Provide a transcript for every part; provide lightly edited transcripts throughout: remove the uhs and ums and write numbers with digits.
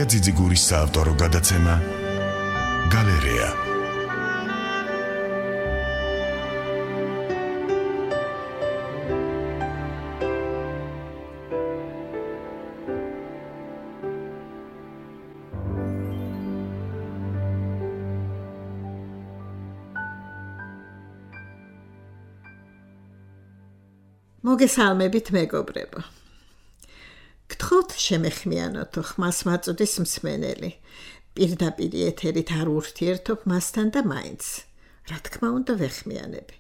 ძიძიგურის საავტორო გადაცემა გალერეა. მოგესალმებით მეგობრებო. გთხოვთ შემეხმიანოთ ხმას მაწოდეს მსმენელი. პირდაპირ ეთერით არ ურთიერთობ მასთან და მაინც. რა თქმა უნდა ვეხმიანები.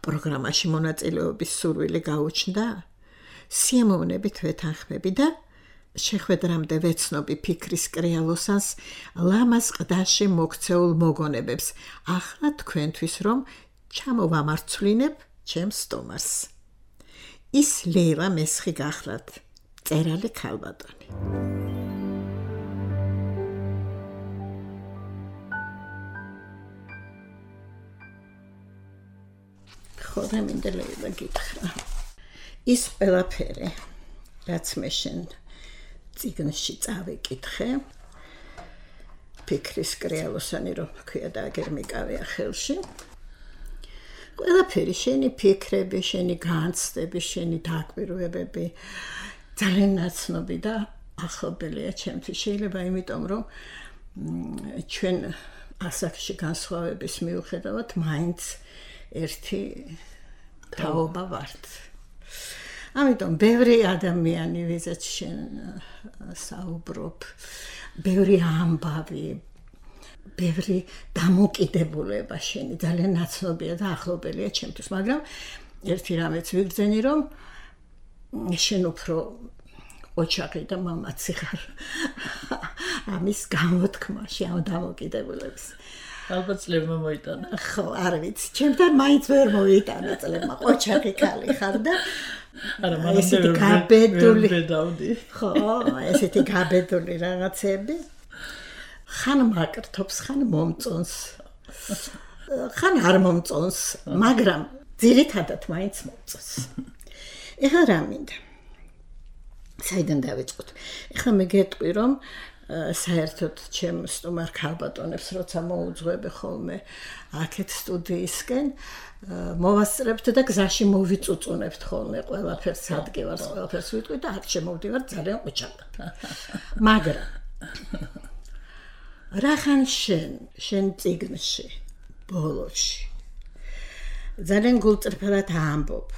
პროგრამაში მონაწილეობის სურვილი გაუჩნდა? სიამოვნებით ვეთანხმები და შეხვედრამდე ვეცნობი ფიქრის კრეალოსანს ლამაზ ყდაში მოქცეულ მოგონებებს. ახლა თქვენთვის რომ ჩამოვამარცვლინებ ჩემს სტომარს. ის ლეილა მესხი გახლავთ, წერალი ქალბატონი. ხოდა მინდა ლეილა გითხრა. ის ყველაფერი, რაც მე შენ წიგნში წავიკითხე, ფიქრის კრეალოსანი რომ ქვია და აგერ მიკავია ხელში. ყველაფერი შენი ფიქრები, შენი განცდები, შენი დაკვირვებები ძალიან ნაცნობი და ახლობელია ჩემთვის. შეიძლება იმიტომ რომ ჩვენ ასაკში განსხვავების მიუხედავად მაინც ერთი თაობა ვართ. ამიტომ ბევრი ადამიანი ვიზაც შენ საუბრობ, ბევრი ამბავი, ბევრი დამოკიდებულება შენი ძალიან ნაცნობია და ახლობელია ჩემთვის, მაგრამ ერთი რამეც ვიგრძენი რომ შენ უფრო ოჩახი და მამაცი ხარ ამის გამოთქმაში, ამ დამოკიდებულების. ალბათ წლებმა მოიტანა. ხო, არ ვიცი, ჩემთან მაინც ვერ მოიტანა წლებმა, ოჩახი ქალი ხარ და არა, მაგრამ ესეთი გაბედული. ხო, ესეთი გაბედული რაღაცები. ხან მაკრთობს, ხან მომწონს, ხან არ მომწონს, მაგრამ ძირითადად მაინც მომწონს. ეხლა რა მინდა? საიდან დავიწყოთ? ეხლა მე გეტყვი რომ საერთოდ ჩემ სტუმარ ქალბატონებს როცა მოუძღვები ხოლმე აქეთ სტუდიისკენ, მოვასწრებთ და გზაში მოვიწუწუნებთ ხოლმე ყველაფერს, ადგილას ყველაფერს ვიტყვი და აქ შემოვდივარ ძალიან ყუჩაკად. მაგრამ რახან შენ წიგნში, ბოლოში ძალიან გულწრფელად ამბობ.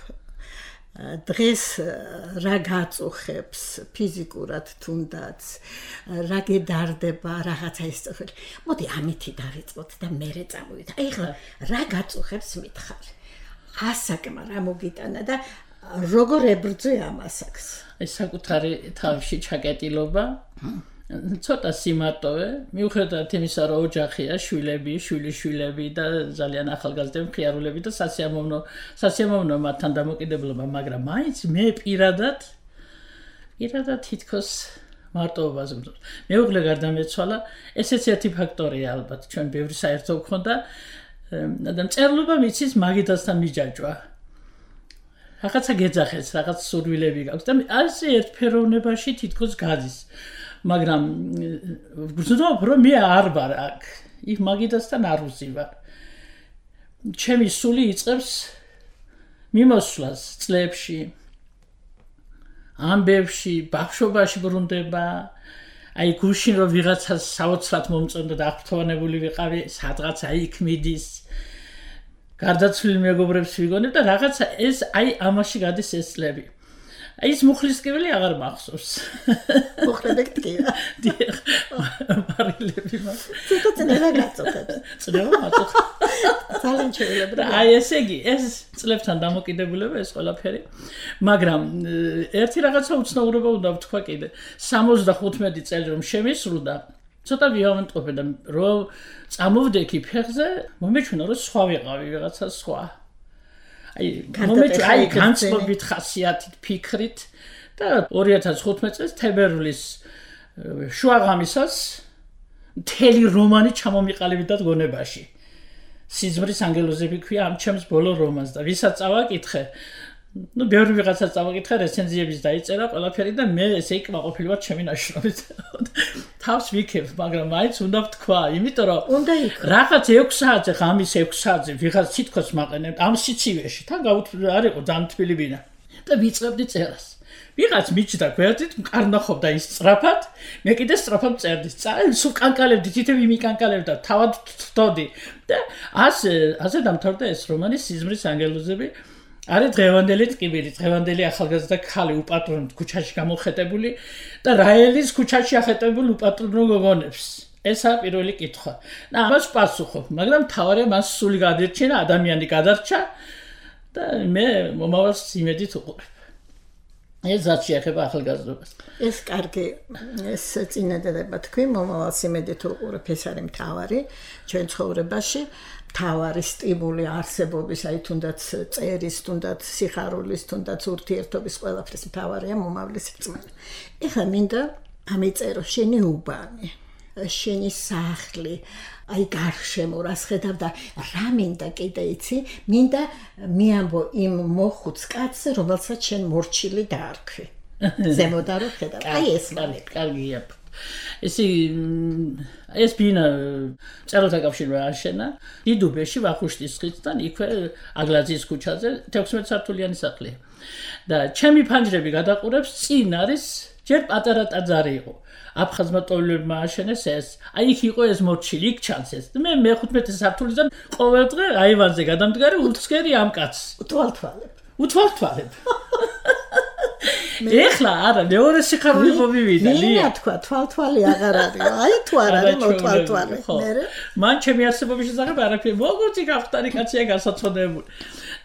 დღეს რა გაწუხებს ფიზიკურად თუნდაც, რა გედარდება რაღაცა ისწრაფელი. მოდი ამითი დავიწყოთ და მერე წამოვიდეთ. ეხლა რა გაწუხებს მითხარ? ასაკმა რა მოგიტანა და როგორ ებრძვი ამ ასაკს? ეს საკუთარი თავში ჩაკეტილობა. ცოტა სიმარტოვე, მიუხედავად იმისა, რომ ოჯახია, შვილები, შვილიშვილები და ძალიან ახალგაზრდები, მხიარულები და სასიამოვნო მათთან დამოკიდებულება, მაგრამ მაინც მე პირადად თითქოს მარტოობას ვიმზადებ. მეუღლე გარდამეცვალა, ესეც ერთი ფაქტორია ალბათ, ჩვენ ბევრი საერთო გქონდა და მწერლობა მიცის მაგიდასთან მიჯაჭვა. რაღაცა გეძახეს, რაღაც სურვილები გაქვს და ასე ერთფეროვნებაში თითქოს გადის. მაგრამ ვგრძნობ რომ მე არ ვარ აქ, იქ მაგიდასთან არ ვზივარ. ჩემი სული იწყებს მიმოსვლას წლებში, ამბებში, ბავშვობაში ბრუნდება. აი გუშინ რომ ვიღაცას საოცრად მომწონდა და აღფრთოვანებული ვიყავი, სადღაცა იქ მიდის. გარდაცვლილ მეგობრებს ვიგონებ და რაღაცა ეს აი ამაში გადის ეს წლები. აი ეს მუხლისკივილი აღარ მახსოვს. მუხლები გტკივა. დიახ. მარილები მაგ. ცოტა წნევა გაწუხებს. წნევა მაწუხებს. ძალიან შეიძლება. აი ესე იგი, ეს წლებთან დამოკიდებულება ეს ყველაფერი. მაგრამ ერთი რაღაცა უცნაურობა უნდა ვთქვა კიდე. 75 წელი რომ შემისრულდა, ცოტა ვიავანტყოფე და რომ წამოვდექი ფეხზე, მომეჩვენა რომ სხვა ვიყავი, ვიღაცა სხვა. აი განცდობით ხასიათით, ფიქრით და 2015 წელს თებერვლის შუაღამისას მთელი რომანი ჩამომიყალიბდა გონებაში. სიზმრის ანგელოზები ქვია ამ ჩემს ბოლო რომანს და ვისაც წავაკითხე ბევრი ვიღაცა წავაკითხა რეცენზიების დაიწერა ყველაფერი და მე ესე იქნაყოფილი ვარ ჩემი ნაშრომით. თავს ვიქებ, მაგრამ მაინც უნდა ვთქვა, იმიტომ რომ უნდა იქ რაღაც 6 საათზე, ღამის 6 საათზე ვიღაც თითქოს მაყენებ ამ სიცივეში. თან არ იყო ძალიან თბილი ბინა. და ვიწყებდი წერას. ვიღაც მიჩნდა გვერდით, მყარნახობდა ის სწრაფად, მე კიდე სწრაფად წერდი. სულ კანკალებდი, თითები მიკანკალებდა, თავად ვთდოდი. და ასე დამთავრდა ეს რომანი სიზმრის ანგელოზები. არის დღევანდელი ტკივილი, დღევანდელი ახალგაზრდა ქალი უპატრონოდ ქუჩაში გამოხეტებული და რაელის ქუჩაში ახეტებული უპატრონო გოგონებს. ესაა პირველი კითხვა. და ამას პასუხობ, მაგრამ თავარი მას სული გადერჩინა, ადამიანი გადარჩა და მე მომავალს იმედით უყურებ. ეს რაც შეეხება ახალგაზრდობას. ეს კარგი ეს წინადადება თქვი, მომავალს იმედით უყურებ, ეს არის მთავარი ჩვენ ცხოვრებაში. თავარი სტიმული არსებობის, აი თუნდაც წერის, თუნდაც სიხარულის, თუნდაც ურთიერთობის ყველაფრის მთავარია მომავლის რწმენა. ეხლა მინდა ამიწერო შენი უბანი, შენი სახლი, აი გარშემო რას ხედავ და რა მინდა კიდე იცი, მინდა მიამბო იმ მოხუც კაცს, რომელსაც შენ მორჩილი დაარქვი. ზემოდა რო ხედავ. აი ეს კარგია. ეს ბინა წეროთა კავშირმა აშენა დიდუბეში ვახუშტის ხიდთან იქვე აგლაძის ქუჩაზე 16 სართულიანი სახლია და ჩემი ფანჯრები გადაყურებს წინ არის ჯერ პატარა ტაძარი იყო აფხაზმა ტოვლებმა აშენეს ეს აი იქ იყო ეს მორჩილი იქ ჩანს ეს მე მე-15 სართულიდან ყოველდღე აივანზე გადამდგარი უთსკერი ამ კაცს უთვალთვალებ ეხლა არა მეორე სიხარული ხო მივიდა ლია თქვა თვალთვალი აღარ არის აი თუ არ არის მოტვალთვალი მე მან ჩემი არსებობის შესახებ არაფერი მოგოწი გახტარი კაცია გასაცოდებული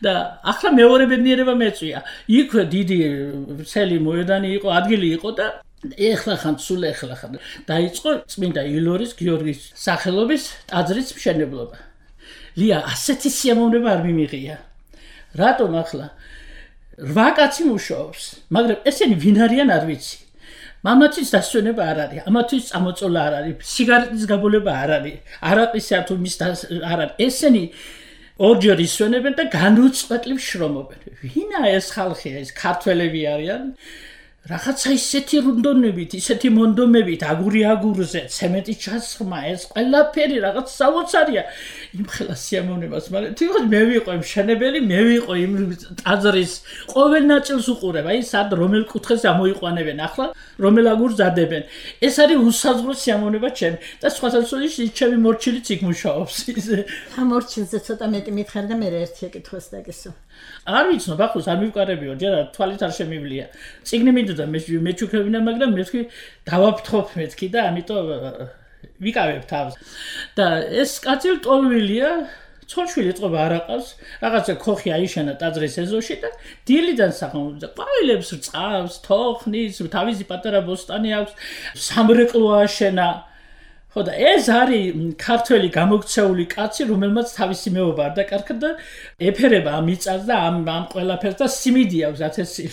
და ახლა მეორე ბედნიერება მეწვია იქვე დიდი სელი მოედანი იყო ადგილი იყო და ეხლა ხან სულ ეხლა ხან დაიწყო წმინდა ილორის გიორგის სახელობის ტაძრის მშენებლობა ლია ასეთი სიამოვნება არ მიმიღია რატომ ახლა 8 კაცი მუშაობს, მაგრამ ესენი ვინ არიან არ ვიცი. მამაცის დასვენება არ არის, ამათვის წამოწოლა არ არის, სიგარეტის გაბოლება არ არის, არაყისა თუ მის არ არის. ესენი ორჯერ ისვენებენ და განუწყვეტლივ შრომობენ. ვინაა ეს ხალხი, ეს ქართველები არიან? რაღაცა ისეთი რუნდონებით, ისეთი მონდომებით, აგური აგურზე, ცემენტის ჩასხმა, ეს ყველაფერი რაღაც საოცარია. იმ ხელა სიამოვნებას, მაგრამ თვითონ მე ვიყო მშენებელი, მე ვიყო იმ ტაძრის ყოველ ნაწილს უყურებ, აი სად რომელ კუთხეს ამოიყვანებენ, ახლა რომელ აგურს დადებენ. ეს არის უსაზღვრო სიამოვნება ჩემი და სხვათაშორის ჩემი მორჩილიც იქ მუშაობს. ამ მორჩილზე ცოტა მეტი მითხარ და მე ერთი ეკითხოს დაგესო. არ ვიცნობ, ახლა არ მივყარებიო, ჯერ თვალით არ შემივლია. წიგნი მინდოდა მეჩუქებინა, მაგრამ მე ვთქვი დავაფრთხობ მეთქი და ამიტომ ვიკავებ თავს. და ეს კაცი ტოლვილია, ცოლშვილი წყობა არ აყავს, რაღაცა ხოხი აიშენა ტაძრის ეზოში და დილიდან სახელმწიფო ყვავილებს რწყავს, თოხნის, თავისი პატარა ბოსტანი აქვს, სამრეკლო აშენა. ხო და ეს არის ქართველი გამოქცეული კაცი, რომელმაც თავისი მეუბნა არ დაკარგა და ეფერება ამ მიწას და ამ ყველაფერს და სიმიდი აქვს 1000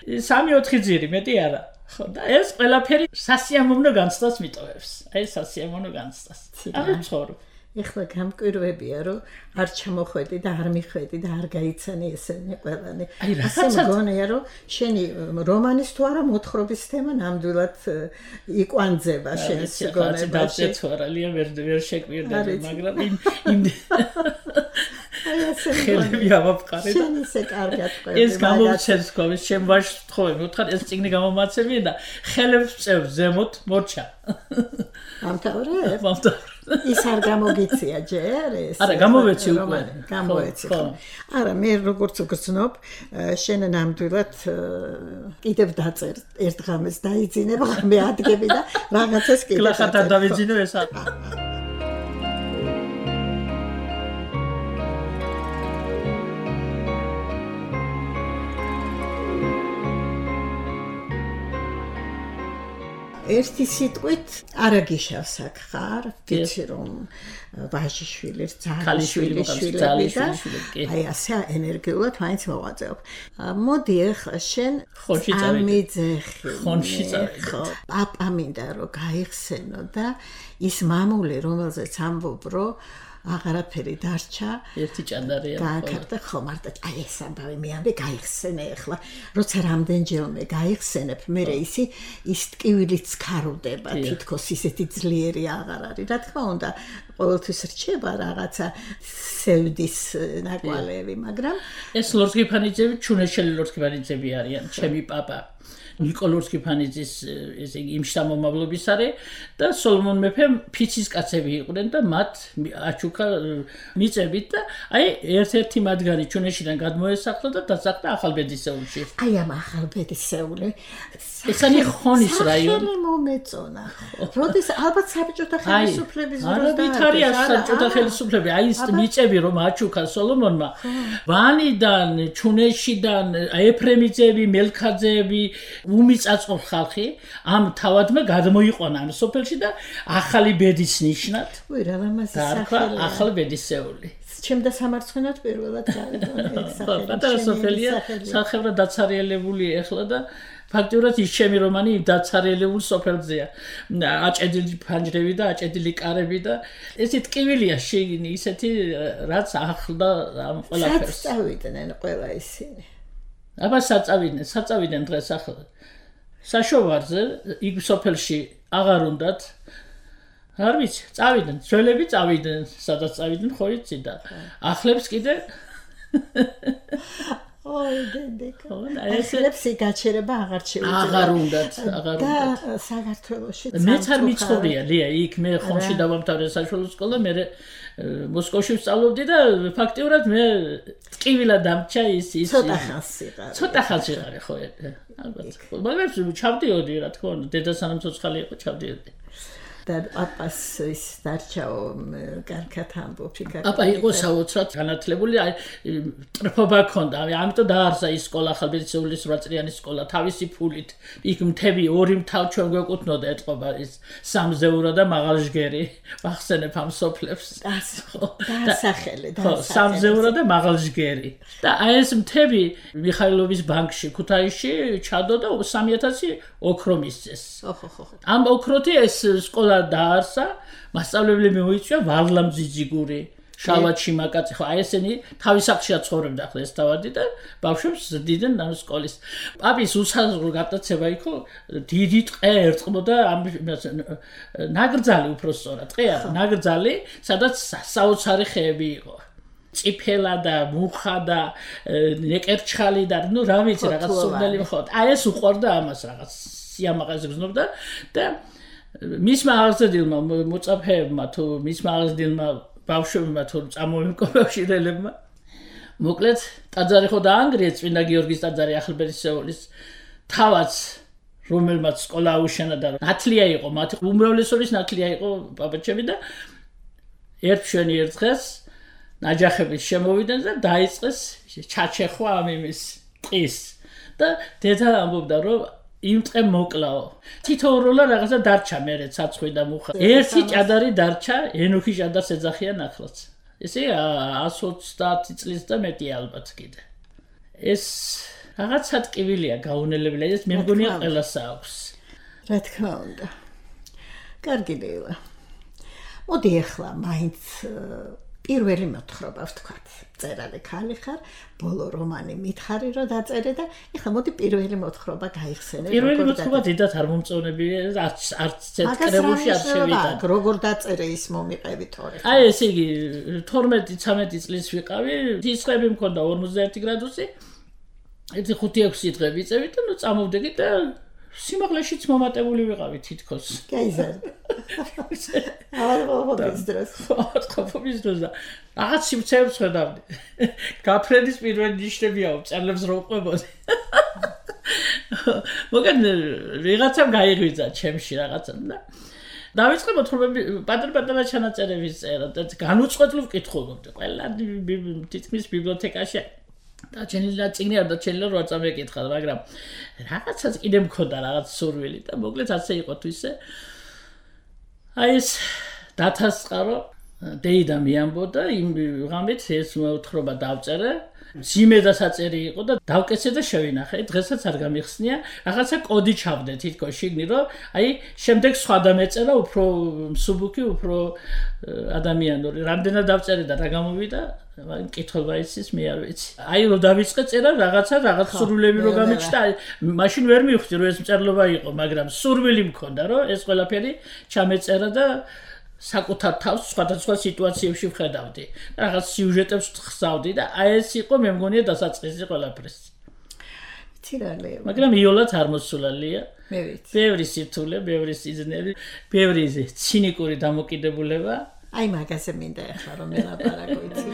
3-4 ძირი მეტი არა. ხო და ეს ყველაფერი სასიამოვნო განცდას მიტოვებს. აი სასიამოვნო განცდას. არ ცხოვრობ. ეხლა გამკვირვებია რომ არ ჩამოხვედი და არ მიხვედი და არ გაიცანი ესენი ყველანი. ასე მგონია რომ შენი რომანის თუ არა მოთხრობის თემა ნამდვილად იკვანძება შენს გონებაში. დავწეცვარალია ვერ შეკვირდები, მაგრამ იმ აი ასე ხელები ავაფყარი და შენ ისე კარგად ყვები. ეს გამოვცეს ქოვის ჩემ ვაშს თხოვე, მოთხარ ეს წიგნი გამომაცემია და ხელებს წევს ზემოთ მორჩა. ამთავრე? ის არ გამოგიცია ჯერ ეს? არა, გამოვეცი უკვე. გამოვეცი. არა, მე როგორც ვგრძნობ, შენ ნამდვილად კიდევ დაწერ ერთ ღამეს დაიძინებ, მე ადგები და რაღაცას კიდევ. კლახად არ დავიძინო ეს არ. ერთი სიტყვით არაგიშავს აქ ხარ, ვიცი რომ ვაჟიშვილი, ქალიშვილი, აი ასე ენერგიულად მაინც მოვაწევ. მოდი ახლა შენ ამიძეხი. ხონში წავიდე. ხო, პაპა მინდა რომ გაიხსენო და ის მამული, რომელზეც ამბობ, რომ აღარაფერი დარჩა ერთი ჭადარია გააკარდა ხო მარტო აი ეს ამბავი მე ამბე გაიხსენე ახლა როცა რამდენჯერმე გაიხსენებ მე ის ტკივილიც ხარუდება თითქოს ისეთი ძლიერი აღარ არის რა თქმა უნდა ყოველთვის რჩება რაღაცა სევდის ნაკვალევი მაგრამ ეს ლორსკიფანიძეები ჩუნეშელი ლორსკიფანიძეები არიან ჩემი პაპა ნიკოლორსკი ფანიძის ესე იგი იმ შთამომავლობის არის და სოლომონ მეფემ ფიცის კაცები იყვნენ და მათ აჩუქა მიწებით და აი ერთ-ერთი მათგანი ჩუნეშიდან გადმოესახლა და დასახლდა ახალბედისეულში. აი ამ ახალბედისეული ეს არის ხონის რაიონი. სახელი მომეწონა. როდის ალბათ საბჭოთა ხელისუფლების დროს არაბით არის საბჭოთა ხელისუფლები აი ეს მიწები რომ აჩუქა სოლომონმა ვანიდან ჩუნეშიდან ეფრემიძეები მელქაძეები უმიწაწყო ხალხი ამ თავადმა გადმოიყვანა ამ სოფელში და ახალი ბედის ნიშნად უი რა ლამაზი სახელი ახალი ბედისეული ჩემდა სამარცხვინოდ პირველად გავიგონე ეს სახელი პატარა სოფელია სახელმწიფო დაცარიელებული ეხლა და ფაქტურად ის ჩემი რომანი დაცარიელებულ სოფელზეა აჭედილი ფანჯრები და აჭედილი კარები და ესე ტკივილია შეგინი ისეთი რაც ახლდა ამ ყველაფერს წავიდნენ ყველა ისინი აბა საწავიდნენ დღეს ახლა საშოვარზე იქ სოფელში აღარ უნდათ არ ვიცი წავიდნენ ძველები წავიდნენ სადაც წავიდნენ ხო იცი და ახლებს კიდე ოი დედიკა ახლებს გაჩერება აღარ შეუძლია აღარ უნდათ და საქართველოში მეც არ მიცხოვრია ლია იქ მე ხომში დავამთავრე საშუალო სკოლა მე მოსკოვში ვსწავლობდი და ფაქტიურად მე ტკივილა დამჭა ის ცოტა ხანს ვიყარე ხო ალბათ მაგრამ ჩავდიოდი რა თქმა უნდა დედა სანამ ცოცხალი იყო ჩავდიოდი და პაპას ის დარჩაო კარგად ამბობი პაპა იყო საოცრად განათლებული ტრფობა ჰქონდა ამიტომ დაარსა ის სკოლა ახალბედისეულის 8 წლიანი სკოლა თავისი ფულით იქ მთები ორი მთავ ჩვენ გვეკუთვნოდა ეთყობა ის სამზეურო და მაღალჟგერი ვახსენებ ამ სოფლებს დასახელე სამზეურო და მაღალჟგერი და აი ეს მთები მიხაილოვის ბანკში ქუთაისში ჩადო და 3000 ოქრო მისცეს ამ ოქროთი ეს სკოლა დაარსა მასწავლებლები მოიწვია ვარლამ ძიძიგური შალვატში მაკაცი ხო აი ესენი თავის სახლშია ცხოვრობდა ახლა ეს თავადი და ბავშვებს ზრდიდნენ ამ სკოლის პაპის უსაზღვრო გატაცება იყო დიდი ტყე ერწყმოდა ამ ნაგრძალი უფრო სწორად ტყე არა ნაგრძალი სადაც საოცარი ხეები იყო წიფელა და მუხა და ნეკერჩხალი და ნუ რა ვიცი რაღაც სულელი ხო აი ეს უყვარდა ამას რაღაც სიამაყეზე გზნობდა და მისმა აღზრდილმა მოწაფეებმა თუ მისმა აღზრდილმა ბავშვებმა თუ წამოემკობავშირელებმა მოკლედ ტაძარი ხო დაანგრიეს წმინდა გიორგის ტაძარი ახალბედისეულის თავაც რომელმაც სკოლა აუშენა და ნათლია იყო მათი უმრავლესობის ნათლია იყო პაპაჩები და ერთშვენი ერთ დღეს ნაჯახების შემოვიდნენ და დაიწყეს ჩაჩეხვა ამ იმის ტყის და დედა ამბობდა რომ იმ ტყე მოკლაო თითოეულა რაღაცა დარჩა მერე ცაცხვი და მუხა ერთი ჭადარი დარჩა ენოქი ჭადარს ეძახიან ახლაც ესე 130 წლის და მეტი ალბათ კიდე ეს რაღაცა ტკივილია გაუნელებელი ეს მე მგონია ყველას აქვს რა თქმა უნდა კარგი დილა მოდი ახლა მაინც პირველი მოთხრობა ვთქვათ წერალი ხალი ხარ ბოლო რომანი მითხარი რომ დაწერე და ეხლა მოდი პირველი მოთხრობა გაიხსენე პირველი მოთხრობა დიდად არ მომწონები არც კრებულში არ შევიდა როგორ დაწერე ის მომიყევი თორე აი ესე იგი 12-13 წლის ვიყავი სიცხები მქონდა 41 გრადუსი ერთი 5-6 დღე ვიწევი და ნუ წამოვდეგი და სიმაღლეშიც მომატებული ვიყავი თითქოს გაიზარდა ავადყოფის დროს და რაღაც სიმცეებს ხედავდი გაფრენის პირველი ნიშნებია წერლებს რო ყვებოდი მოგენ ვიღაცამ გაიღვიძა ჩემში რაღაცა და დავიწყე მოთხრობები პატარ-პატარა ჩანაწერების წერა და განუწყვეტლივ ვკითხულობდი ყველა თითქმის ბიბლიოთეკაში დაჩენილი წიგნი არ დაჩენილი რო არ წამეკითხა მაგრამ რაღაცაც კიდე მქონდა რაღაც სურვილი და მოკლედ ასე იყო თუ ისე აი ეს დათასწყარო დეიდა მიამბოდა იმ ღამით ეს მოთხრობა დავწერე ძიმე და საწერი იყო და დავკეცე და შევინახე. დღესაც არ გამიხსნია, რაღაცა კოდი ჩავდე თითქოს შიგნი, რომ აი შემდეგ სხვა დამეწერა უფრო მსუბუქი, უფრო ადამიანური. რამდენად დავწერე და რა გამოვიდა, მკითხვა იცის, მე არ ვიცი. აი რომ დავიწყე წერა რაღაც სურვილები რო გამიჩნდა, მაშინ ვერ მივხვდი რომ ეს მწერლობა იყო, მაგრამ სურვილი მქონდა რომ ეს ყველაფერი ჩამეწერა და საკუთარ თავს სხვადასხვა სიტუაციებში ვხედავდი. რაღაც სიუჟეტებს ხსავდი და აი ეს იყო მე მგონია დასაწყისი ყველაფრის. ცირალე. მაგრამ იოლად არ მოსულალია. მე ვიცი. ბევრი სირთულე, ბევრი სიზნელი, ბევრი ცინიკური დამოკიდებულება. აი მაგაზე მინდა ახლა რომ ელაპარაკო იცი.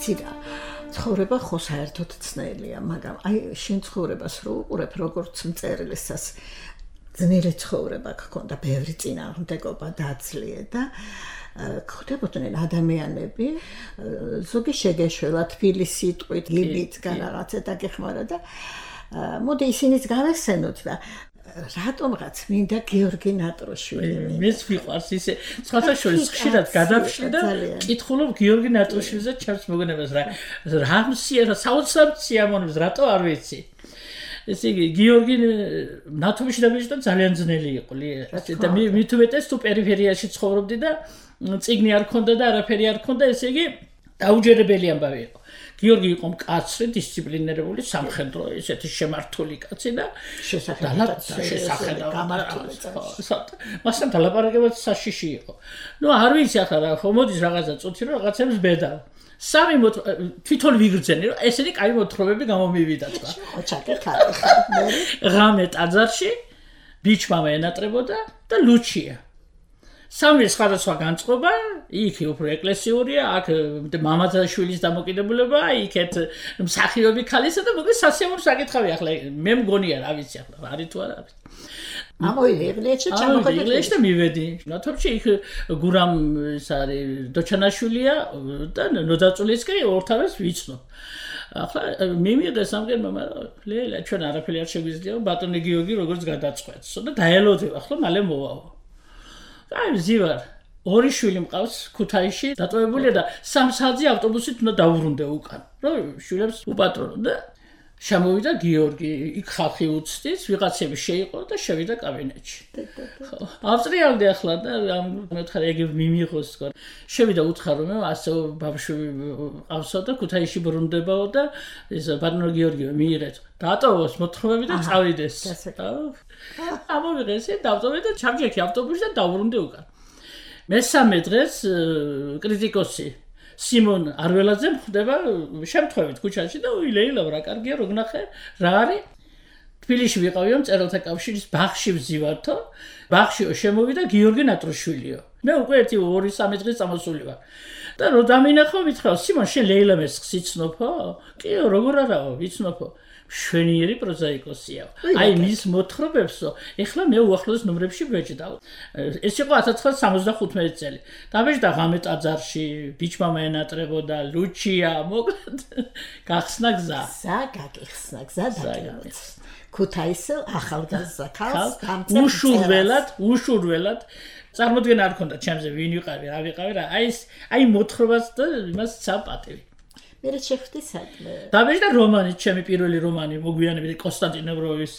ცირა ცხოვრება ხო საერთოდ ცნელია, მაგრამ აი შენ ცხოვრებას რო უყურებ როგორც მწერლისას ძნელი ცხოვრება გქონდა, ბევრი წინააღმდეგობა დაძლია და გხვდებოდნენ ადამიანები, ზოგი შეგეშველა თბილის სიტყვით, ლიბით რაღაცა დაგეხმარა და მოდი ისინიც გავესენოთ და რატომღაც მინდა გიორგი ნატროშვილი. მეც მიყვარს ისე სხვათა შორის ხშირად გადავშლი და კითხულობ გიორგი ნატროშვილზე ჩემს მოგონებას რა მსიერა საოცრად სიამოვნებს, რატო არ ვიცი. ესე იგი გიორგი ნათობში dabეჭდა ძალიან ძნელი იყო და მით უმეტეს თუ პერიფერიაში ცხოვრობდი და წიგნი არ ქონდა და არაფერი არ ქონდა, ესე იგი დაუჯერებელი ამბავი იყო. გიორგი იყო მკაცრი, დისციპლინირებული, სამხედრო, ესეთი შემართული კაცი და გამართული. მასთან დალაპარაკებაც საშიში იყო. ნუ არ ვიცი ახლა რა, ხო მოდის რაღაცა წუთი რომ რაღაცებს ბედა. სამი თვითონ ვიგრძენი რომ ესეთი კაი მოთხრობები გამომივიდა თქვა. ოჩაკე ხარ ხარ. ღამე ტაძარში ბიჭმა ენატრებოდა და ლუჩია. სამი სხვადასხვა განწყობა, იქ უფრო ეკლესიურია, აქ მამათა შვილის დამოკიდებულება, იქეთ მსახიობი ქალისა და მოკლედ სასიამოვნო საკითხავი ახლა მე მგონია რა ვიცი ახლა არის თუ არა არის. ამოიდი ეგლეჩი ჩამოყალიბდა. ეგლეჩი და მივედი. ნათობში იქ გურამ ეს არის დოჩანაშვილია და ნოდაწულისკი ორთავეს ვიცნობ. ახლა მიმიღეს ამგერმა, მაგრამ ლელა ჩვენ არაფერი არ შეგვიძლია ბატონი გიორგი როგორც გადაწყვეტს და დაელოდებ ახლა მალე მოვაო. აი ზივარ ორი შვილი მყავს ქუთაისში დატოვებულია და 3 საათზე ავტობუსით უნდა დავუბრუნდე უკან რომ შვილებს უპატრონო და შემოვიდა გიორგი იქ ხალხი უცდის ვიღაცები შეიყო და შევიდა კაბინეტში ავსტრიალდი ახლა და მეთხარ ეგ მიმიღოს თქო შევიდა უთხარ რომ ასე ბავშვი ყავსო და ქუთაისში ბრუნდებაო და ეს ბატონო გიორგი მიიღეთ დატოვოს მოთხრობები და წავიდეს ამოვიღეს დავტოვე და ჩამჯექი ავტობუსში და დავბრუნდი უკან მესამე დღეს კრიტიკოსი სიმონ არველაძე მხდება შემთხვევით ქუჩაში და უილეილავ რა კარგია რო გნახე რა არის თბილისში ვიყავიო მწერალთა კავშირის ბაღში ვზივართო ბაღშიო შემოვიდა გიორგი ნატროშვილიო მე უკვე 2-3 დღეს წამოსული ვარ და რო დამინახო მითხრა სიმონ შენ ლეილა მესხს იცნობო კიო როგორ არაო ვიცნობო შვენიერი პროზაიკოსია. აი მის მოთხრობებსო, ეხლა მე უახლოეს ნომრებში ვეჭდავ. ეს იყო 1975 წელი. დავეჭდა ღამე ტაძარში, ბიჭმა მეენატრებოდა, ლუჩია, მოკლედ გახსნა გზა. გაგიხსნა გზა დაგემოც. ქუთაისელ ახალგაზრდა ქალს უშურველად წარმოდგენა არ ქონდა ჩემზე ვინ ვიყავი, რა ვიყავი რა. აი მოთხრობას და იმას საპატივი. მე შეხვდი საქმე. დავეჭდა რომანი, ჩემი პირველი რომანი, მოგვიანებით კონსტანტინე ბროვის.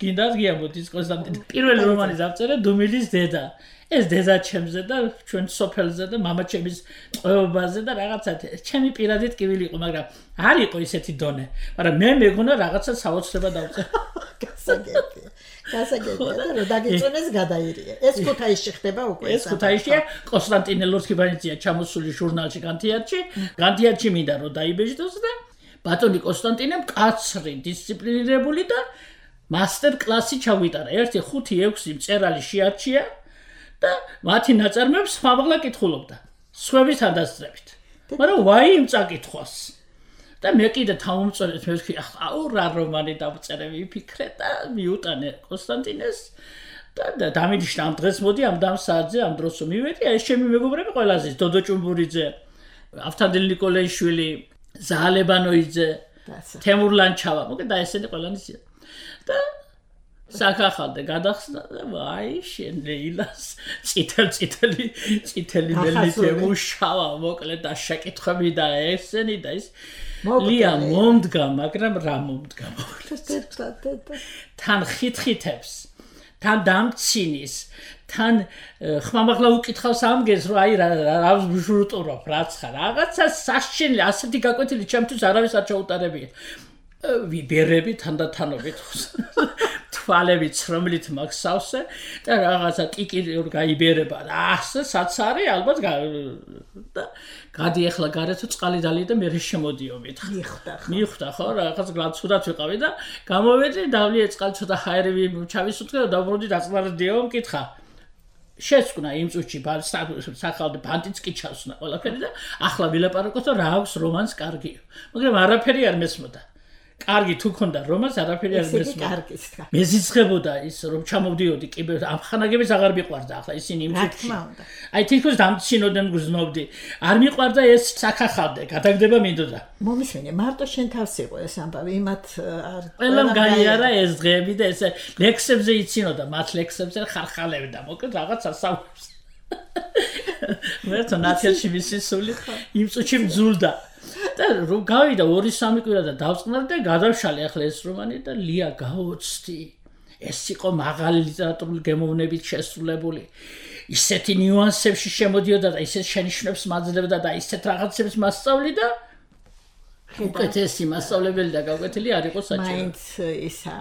გინდა გიამოდის კონსტანტინე. პირველი რომანი დავწერე დუმილის დედა. ეს დედა ჩემზე და ჩვენ სოფელზე და მამა ჩემის ტყვეობაზე და რაღაცა ჩემი პირადი ტკივილი იყო, მაგრამ არ იყო ისეთი დონე. მაგრამ მე მეგონა რაღაცა საოცრება დავწერე. გასაგებია და რომ დაგიწონეს გადაირია. ეს ქუთაისში ხდება უკვე. ეს ქუთაისშია კონსტანტინე ლორთქიბანიძეა ჩამოსული ჟურნალში განთიარჩი მინდა რომ დაიბეჭდოს და ბატონი კონსტანტინე მკაცრი, დისციპლინირებული და მასტერ კლასი ჩავიტარა. 1-5-6 მწერალი შეარჩია და მათი ნაწარმოებს ხმამაღლა კითხულობდა. სხვების ადასწრებით. მაგრამ ვაი იმ წაკითხვას. და მე კიდე თავმომწონეთ მე ვთქვი აუ რა რომანი დავწერე ვიფიქრე და მიუტანე კონსტანტინეს და დამინიშნა ამ დღეს მოდი ამ საათზე ამ დროს მივედი ეს ჩემი მეგობრები ყველაზე დოდო ჭუმბურიძე ავთანდილ ნიკოლაიშვილი ზაალებანოიძე თემურ ლანჩავა მოკე და ესენი ყველანი და საკახალდე გადახსნა და ვაი შენ ლეილას წითელი მელითე მუშავა მოკლედ და შეკითხები და ესენი და ის ლია მომდგა მაგრამ რა მომდგა თან ხითხითებს თან დამცინის თან ხმამაღლა უკითხავს ამგეს რომ აი რა ვშურტურობ რაც ხარ რაღაცა საშინელი ასეთი გაკვეთილი ჩემთვის არავის არ ჩაუტარებია ვიბერები თანდათანობით თვალებით რომლით მაქვს სავსე და რაღაცა ტიკიურ გაიბერება და ასე საცარი ალბათ და გადი ახლა გარეთ წყალი დალი და მე შემოდიო მიხდა ხო რაღაც გლაცურად ვიყავი და გამოვედი დავლი წყალი ცოტა ჰაერები ჩავისუტყე და დაბრუნდი დაწნარდიო მკითხა შეცვნა იმ წუთში სახალდე ბანტიც კი ჩავსნა ყველაფერი და ახლა ვილაპარაკოთ რა აქვს რომანს კარგიო მაგრამ არაფერი არ მესმოდა კარგი თუ ქონდა რომას არაფერი არ მესმოდა მეზიცხებოდა ის რომ ჩამოვდიოდი კიბე ამ ხანაგებს აღარ მიყვარდა ახლა ისინი იმ წუთში აი თითქოს დამცინოდან გრძნობდი არ მიყვარდა ეს საკახალდე გადაგდება მინდოდა მომისმენე მარტო შენ თავს იყო ეს ამბავი იმათ არ ყველამ გაიარა ეს დღეები და ეს ლექსებზე იცინოდა მათ ლექსებზე ხარხალებდა მოკლედ რაღაცა საუბრობს მე თან ნათელში მისი სული იმ წუთში მძულდა და რომ გავიდა 2-3 კვირა და დავწყნარ და გადავშალე ახლა ეს რომანი და ლია გავოცდი ეს იყო მაღალი ლიტერატურული გემოვნებით შესრულებული ისეთი ნიუანსებში შემოდიოდა და ისეთ შენიშვნებს მაძლევდა და ისეთ რაღაცებს მასწავლიდა უკეთესი მასწავლებელი და გაკვეთილი არ იყო საჭირო მაინც ისა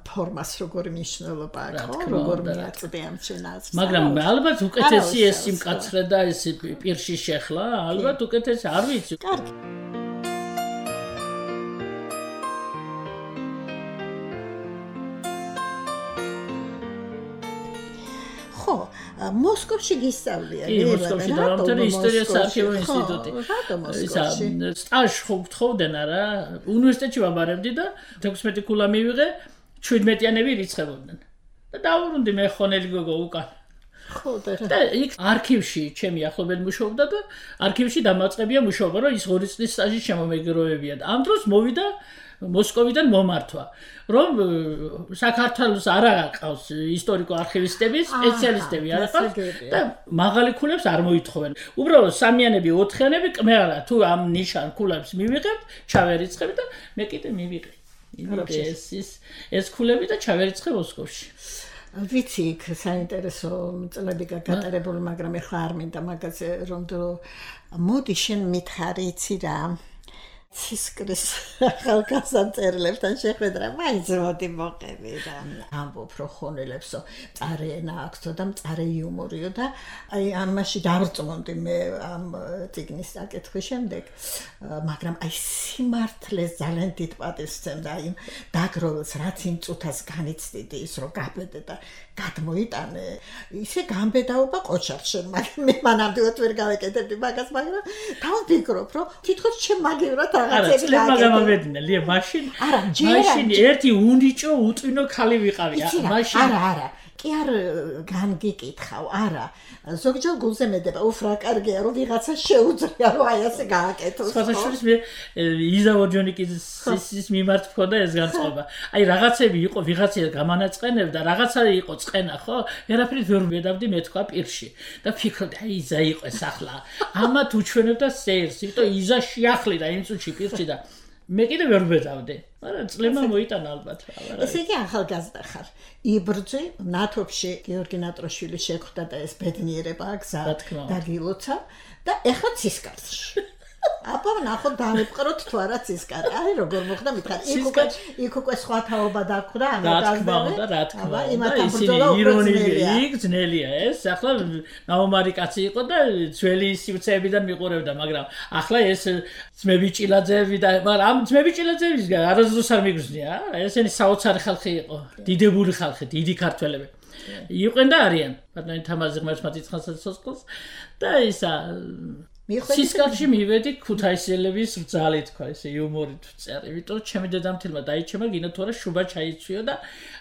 ფორმას როგორი მნიშვნელობა აქვს როგორ მიაწვდე ამ შენას მაგრამ ალბათ უკეთესი ეს იმკაცრე და ეს პირში შეხლა ალბათ უკეთესი არ ვიცი კარგი ხო მოსკოვში გისწავლია მოსკოვში დავამთავრე ისტორიას არქივო ინსტიტუტი სტაჟს ხოვდნენ არა უნივერსიტეტში ვაბარებდი და 16 ქულა მივიღე 17-იანები რიცხებოდნენ და დავუბრუნდი მე ხონელი გოგო უკან ხო და იქ არქივში ჩემი ახლობელი მუშაობდა და არქივში დამაწყებია მუშაობა რომ ის 2 წლის სტაჟი შემომეგროვებია და ამ დროს მოვიდა მოსკოვიდან მომართვა რომ საქართველოს არ აღყავს ისტორიკო-არქივისტები სპეციალისტები არ ახავს და მაღალი ქულებს არ მოითხოვენ უბრალოდ სამიანები 4-იანები კმეარა თუ ამ ნიშან ქულებს მივიღებთ ჩავერიცხებ და მე კიდე მივიღე ეს ქულები და ჩავერიცხე მოსკოვში ვიცი იქ საინტერესო წლები გატარებული მაგრამ ეხლა არ მინდა მაგაზე რომ მოდი შენ მითხარი იცი რა ცისკრის ახალგაზრდებთან შეხვედრა მაინც მოდი მოყევი რა ამბობ რო ხონელებსო მწარე ენა აქვსო და მწარე იუმორიო და აი ამაში დავწმუნდი მე ამ წიგნის საკითხის შემდეგ მაგრამ აი სიმართლეს ძალიან დიდ პატივს ვცემდა იმ დაგროვილს რაც იმ წუთას განიცდიდი ის რო გაბედე და გადმოიტანე ისე გამბედაობა ყოჩარს შენ მაგრამ მე მანამდეවත් ვერ გავეკეთებდი მაგას მაგრამ დავფიქრობ რომ თითქოს ჩემ მაგივრად რაღაცები გამოვედინე ლია მაშინ ერთი უნიჭო უტვინო ხალი ვიყავი მაშინ არა კი არ განგიკითხავ არა ზოგჯერ გულზე მედება უფრა კარგია რომ ვიღაცა შეუძლია რომ აი ასე გააკეთოს სხვადასხვის მე იზა ვოჯონიკის მიმართ მქონდა ეს განწყობა აი რაღაცები იყო ვიღაცა გამანაწყენებდა რაღაცა იყო წენა ხო ვერაფერი ვერ მედავდი მე თქვა პირში და ფიქრობდი აი იზა იყო ეს ახლა ამათ უჩვენებდა სერს იმიტომ იზა შეახლიდა იმ წუთში პირში და მე კიდე ვერ ვედავდი მაგრამ წლება მოიტანა ალბათ ესე იგი ახალგაზრდა ხარ იბრძვი ნათოფში გიორგი ნატროშვილი შეხვდა და ეს ბედნიერება გზა დაგილოცა და ეხლა ცისკარში აბა ნახოთ დავიწყროთ თუ არა ცისკარი აი როგორ მოხდა მითხარ იქ უკვე სხვა თაობა დაგვდა რა თქმა უნდა ისინი ირონია იქ ძნელია ეს ახლა ნაუმარი კაცი იყო და ძველი სივრცეებიდან მიყურებდა მაგრამ ახლა ეს ძმებიჭილაძეები და მაგრამ ამ ძმებიჭილაძეების არასდროს არ მიგრძნია ესენი საოცარი ხალხი იყო დიდებული ხალხი დიდი ქართველები იყვენ და არიან ბატონი თამაზი ღმერთს მათიცხანსა სოწყოს და ისა სისკარში მივედი ქუთაისელების რძალი თქვა ესე იუმორით ვწერი იმიტომ ჩემი დედამთილმა დაიჩემა გინდა თუ არა შუბა ჩაიცვიო და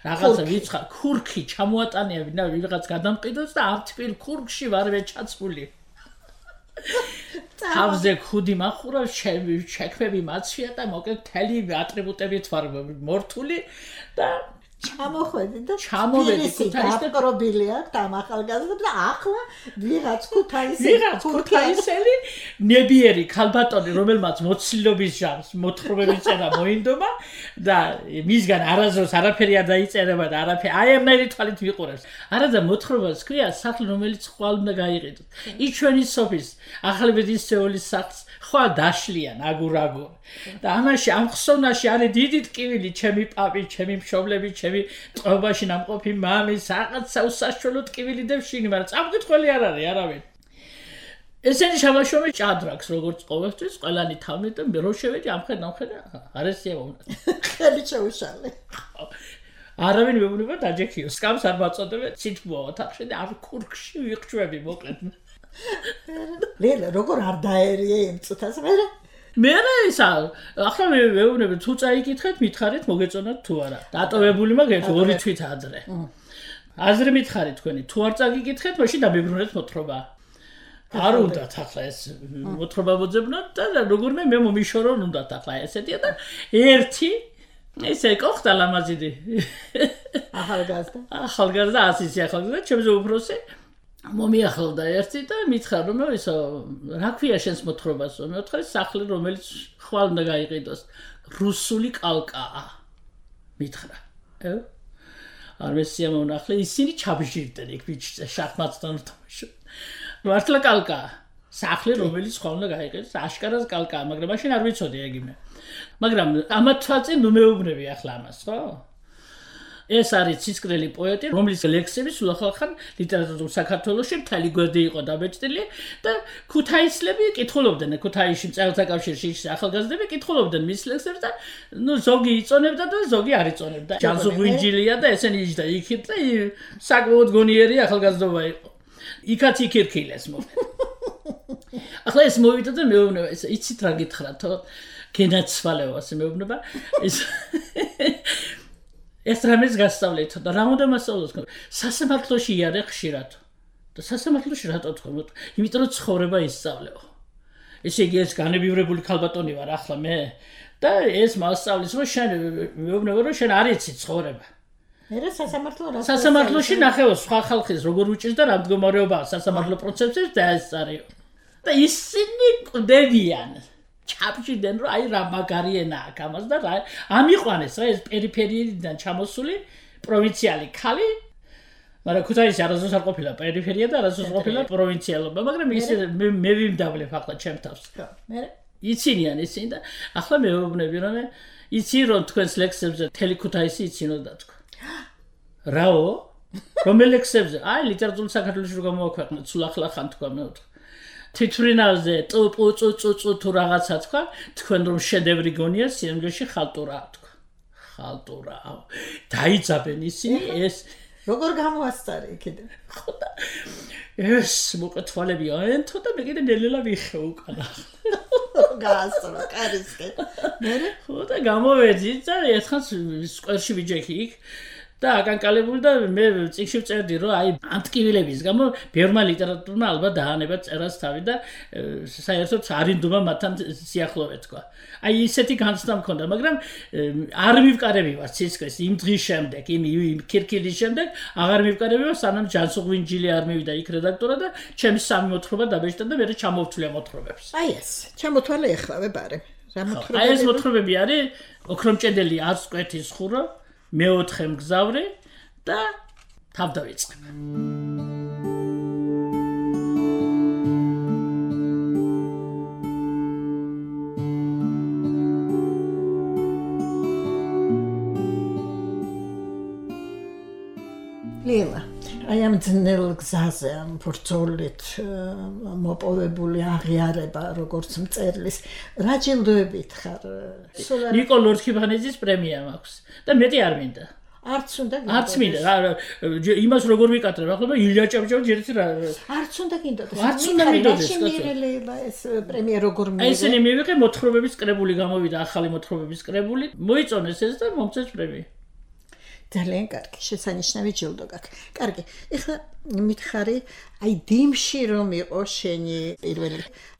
რაღაცა ვიცხა ქურქი ჩამოატანია ვინა ვიღაც გადამყიდოს და ამ თბილ ქურქში ვარვე ჩაცმული თავზე ხუდი მახურავს, შექმები მაცვია და მოკლედ მთელი ატრიბუტებით ვარ მორთული და ჩამოხვედი და ჩამოვედი ქუთაისში გაპრობილი აქვს ამ ახალგაზრდა და ახლა ვიღაც ქუთაისელი ნებიერი ქალბატონი რომელმაც მოცილობის ჟამს მოთხრობების წერა მოინდომა და მისგან არასდროს არაფერი არ დაიწერება და არაფერი აი ამნაირი თვალით ვიყურებს არადა მოთხრობას ქვია სახლი რომელიც ხვალ უნდა გაიყიდოთ იჩვენის სოფის ახალბედის სეულის სახლს ხვალ დაშლიან აგურ და ამაში ამ ხსოვნაში არის დიდი ტკივილი ჩემი პაპი ჩემი მშობლები ჩემი ტყობაში ნამყოფი მამი საყაცა უსაშუალო ტკივილი და შინი მაგრამ წამკითხველი არ არის არავინ ესენი შაბაშომი ჭადრაკს როგორც ყოველთვის ყველანი თავნით და მე რო შევედი ამხედა არესია მომნა ხელი შეუშალე არავინ მეუბნება დაჯექიო სკამს არ მაწოდებე ცითბოა ოთახში და არ ქურქში ვიხრჩვები მოკლედ ლელა როგორ არ დაერიე იმ წუთას მე ისა ახლა მეუბნები თუ წაიკითხეთ მითხარით მოგეწონათ თუ არა დატოვებული მაგ ორი თვით ადრე აზრი მითხარით თქვენი თუ არ წაგიკითხეთ მაშინ დამებრუნეთ მოთხრობა არ უნდათ ახლა ეს მოთხრობა მოძებნოთ და როგორმე მე მომიშორო უნდათ ახლა ესეთია და ერთი ესე კოხტა ლამაზიდი ახალგაზრდა ასისი ახალგაზრდა ჩემზე უფროსი მომიახლდა ერთი და მითხრა რომ ისო რა ქვია შენს მოთხრობასო მე ვთქვი სახლი რომელიც ხვალ უნდა გაიყიდოს რუსული კალკაა მითხრა არ მესია მონახლე ისინი ჩაბჟირდნენ იქ ბიჭზე შახმატთან თამაში მართლა კალკაა სახლი რომელიც ხვალ უნდა გაიყიდოს აშკარას კალკაა მაგრამ მაშინ არ ვიცოდი ეგ იმე მაგრამ ამათ თვალწინ ნუ მეუბნები ახლა ამას ხო ეს არის ცისკრელი პოეტი, რომლის ლექსები სულ ახალ ლიტერატურულ საქართველოში მთელი გვერდი იყო დაბეჭდილი და ქუთაისლები კითხულობდნენ ქუთაისში მწერალთა კავშირში ახალგაზრდები კითხულობდნენ მის ლექსებს და ნუ ზოგი იწონებდა და ზოგი არ იწონებდა. ჯანსუღვინჯილია და ესენი იჯდა იქით და საკმაოდ გონიერი ახალგაზრდობა იყო. იქაც იქირქილეს მოკლედ. ახლა ეს მოვიდა და მეუბნება ეს იცით რა გითხრათო გენაცვალეო ასე მეუბნება ეს ეს რამეს გასწავლეთ და რა უნდა მასწავლოს სასამართლოში იარე ხშირად და სასამართლოში რატო თქვენ იმიტომ რომ ცხოვრება ისწავლეო ესე იგი ეს განებივრებული ქალბატონი ვარ ახლა მე და ეს მასწავლის რომ შენ მეუბნება რომ შენ არ იცი ცხოვრება მე სასამართლოში ნახევარ სხვა ხალხის როგორ უჭირს და რა მდგომარეობაა სასამართლო პროცესებში და ეს არის და ისინი კვდებიან ჩაბჭირდნენ რომ აი რა მაგარი ენა აქვს ამას და რა ამიყვანეს რა ეს პერიფერიიდან ჩამოსული პროვინციალი ხალი მაგრამ ქუთაისი არასდროს არ ყოფილა პერიფერია და არასდროს ყოფილა პროვინციალობა მაგრამ ისე მე ვიმდავლებ ახლა ჩემ თავს მე იცინიან ისინი და ახლა მეუბნები რომ იცი რომ თქვენს ლექსებზე თელი ქუთაისი იცინოდა თქვა რაო რომელ ლექსებზე აი ლიტერატურულ საქართველოში რო გამოაქვეყნეთ სულ ახლა ხან თქვა მე თითვრინავზე წუწუწუწუ თუ რაღაცა თქვა თქვენ რომ შედევრი გონია სიამგეში ხალტურაა თქვა ხალტურაა დაიძაბენ ისინი ეს როგორ გამოასწარე იქიდან ხოდა ეს მოკეთვალები აენთო და მე კიდე ნელელა ვიხე უკანა გაასწრო კარისკე მე ხოდა გამოვედი და ერთხელ სკვერში ვიჯექი იქ და აკანკალებული და მე წიგნში ვწერდი რომ აი ამ ტკივილების გამო ბევრმა ლიტერატურმა ალბათ დაანება წერას თავი და საერთოდ არ ინდომა მათთან სიახლოვე თქვა. აი ისეთი განცდა მქონდა, მაგრამ არ მივკარები ვარ ცისკრის იმ დღის შემდეგ, იმ ქირქილის შემდეგ აღარ მივკარები ვარ სანამ ჯანსუღვინჯილი არ მივიდა იქ რედაქტორად და ჩემი სამი მოთხრობა დაბეჭდა და მე ჩამოვთვლია მოთხრობებს. აი ეს, ჩამოთვალე ეხლავე ბარე. რა მოთხრობები? აი ეს მოთხრობები არის ოქრომჭედელი არც კვეთის ხურო მეოთხე მგზავრი და თავ დავიწყებ. ლელა, აი ამ ძნელ გზაზე, ამ ბრძოლით მოპოვებული აღიარება, როგორც მწერლის, რა ჯილდოებით ხარ? ნიკო ლორთქიფანიძის პრემია მაქვს და მეტი არ მინდა. არც უნდა გინდოდეს. არც მინდა. იმას როგორ ვიკატრებ, ახლა ილია ჭავჭავ ჯერით რა. არც უნდა გინდოდეს. არც უნდა მიდოდეს, ლელა, ეს პრემია როგორ მივიღე? ესენი მივიღე მოთხრობების კრებული გამოვიდა, ახალი მოთხრობების კრებული. მოიწონეს ეს და მომწეს პრემია. ძალიან კარგი, შესანიშნავი ჯილდო გაქვს. კარგი. ეხლა მითხარი აი დიმში რომ იყო შენი პირველი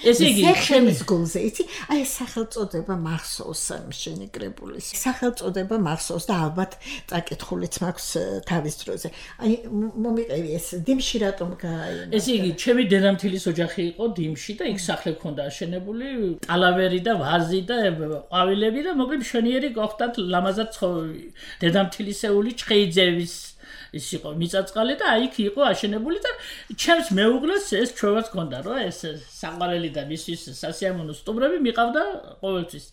ესე იგი ჩემს გულზე იცი აი სახელწოდება მახსოვს შენი კრებულის სახელწოდება მახსოვს და ალბათ წაკითხულიც მაქვს თავის დროზე აი მომიყევი ეს დიმში რატომ გააინა ესე იგი ჩემი დედამთილის ოჯახი იყო დიმში და იქ სახლი ჰქონდა აშენებული ტალავერი და ვაზი და ყვავილები და მოკლედ მშვენიერი გახდათ ლამაზად დედამთილისეული ჩხეიძევის ის იყო მიწაწყალი და აი იქ იყო აშენებული და ჩემს მეუღლეს ეს ჩვევაც ჰქონდა რომ ეს საყვარელი და მისთვის სასიამოვნო სტუმრები მიყავდა ყოველთვის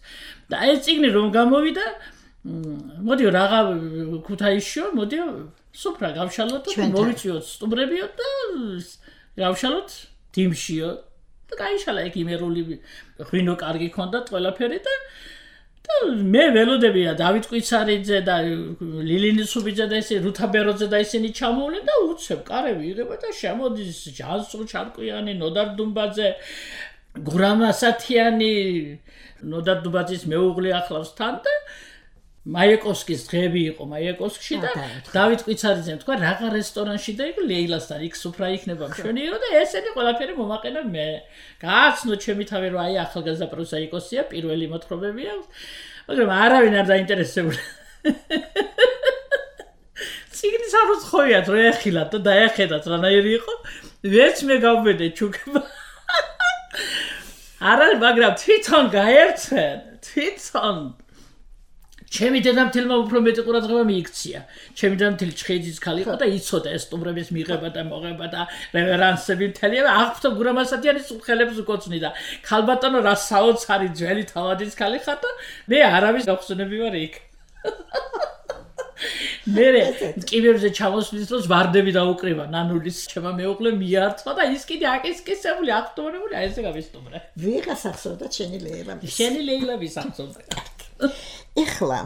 და ეს წიგნი რომ გამოვიდა მოდიო რაღა ქუთაისშიო მოდიო სუფრა გავშალოთ და მოვიწვიოთ სტუმრებიო და გავშალოთ დიმშიო და გაიშალა იქ იმერული ღვინო კარგი ჰქონდა ყველაფერი და მე ველოდებია დავით კვიცარიძე და ლილინის სუბიძე და ესე რუთა ბეროძე და ისინი ჩამოვლენ და უცებ კარები იღება და შემოდის ჯანსუღ ჩარკვიანი ნოდარ დუმბაძე გურამ ასათიანი ნოდარ დუმბაძის მეუღლე ახლავს თან და მაიეკოვსკის დღეები იყო მაიეკოვსკში და დავით კვიცარიძემ თქვა რაღა რესტორანში და იქ ლეილასთან იქ სუფრა იქნება მშვენიერო და ესენი ყველაფერი მომაყენა მე გააცნო ჩემი თავი რომ აი ახალგაზრდა პროზაიკოსია პირველი მოთხრობები აქვს მაგრამ არავინ არ დაინტერესებული ციგნის არ უცხოიათ რომ ეხილათ და დაეხედათ რანაირი იყო ვერც მე გავბედე ჩუქება არა მაგრამ თვითონ გაერცენ თვითონ ჩემი დედამთილმა უფრო მეტი ყურადღება მიიქცია. ჩემი დედამთილი ჩხეიძის ქალი იყო და იცოდა ეს სტუმრების მიღება და მოღება და რევერანსები მთელი აღფრთო გურამ ასათიანის ხელებს უკოცნი და ქალბატონო რა საოცარი ძველი თავადის ქალი ხარ და მე არავის გახსენები ვარ იქ. მე კიბერზე ჩამოსვლის დროს ვარდები დაუკრივა ნანულის ჩემო მეუღლე მიართვა და ის კიდე აკისკისებული აქტუალური აი ესე გავისტუმრე. ვიღას ახსოვდა შენი ლეილა. შენი ლეილა ვისახსოვდა. ეხლა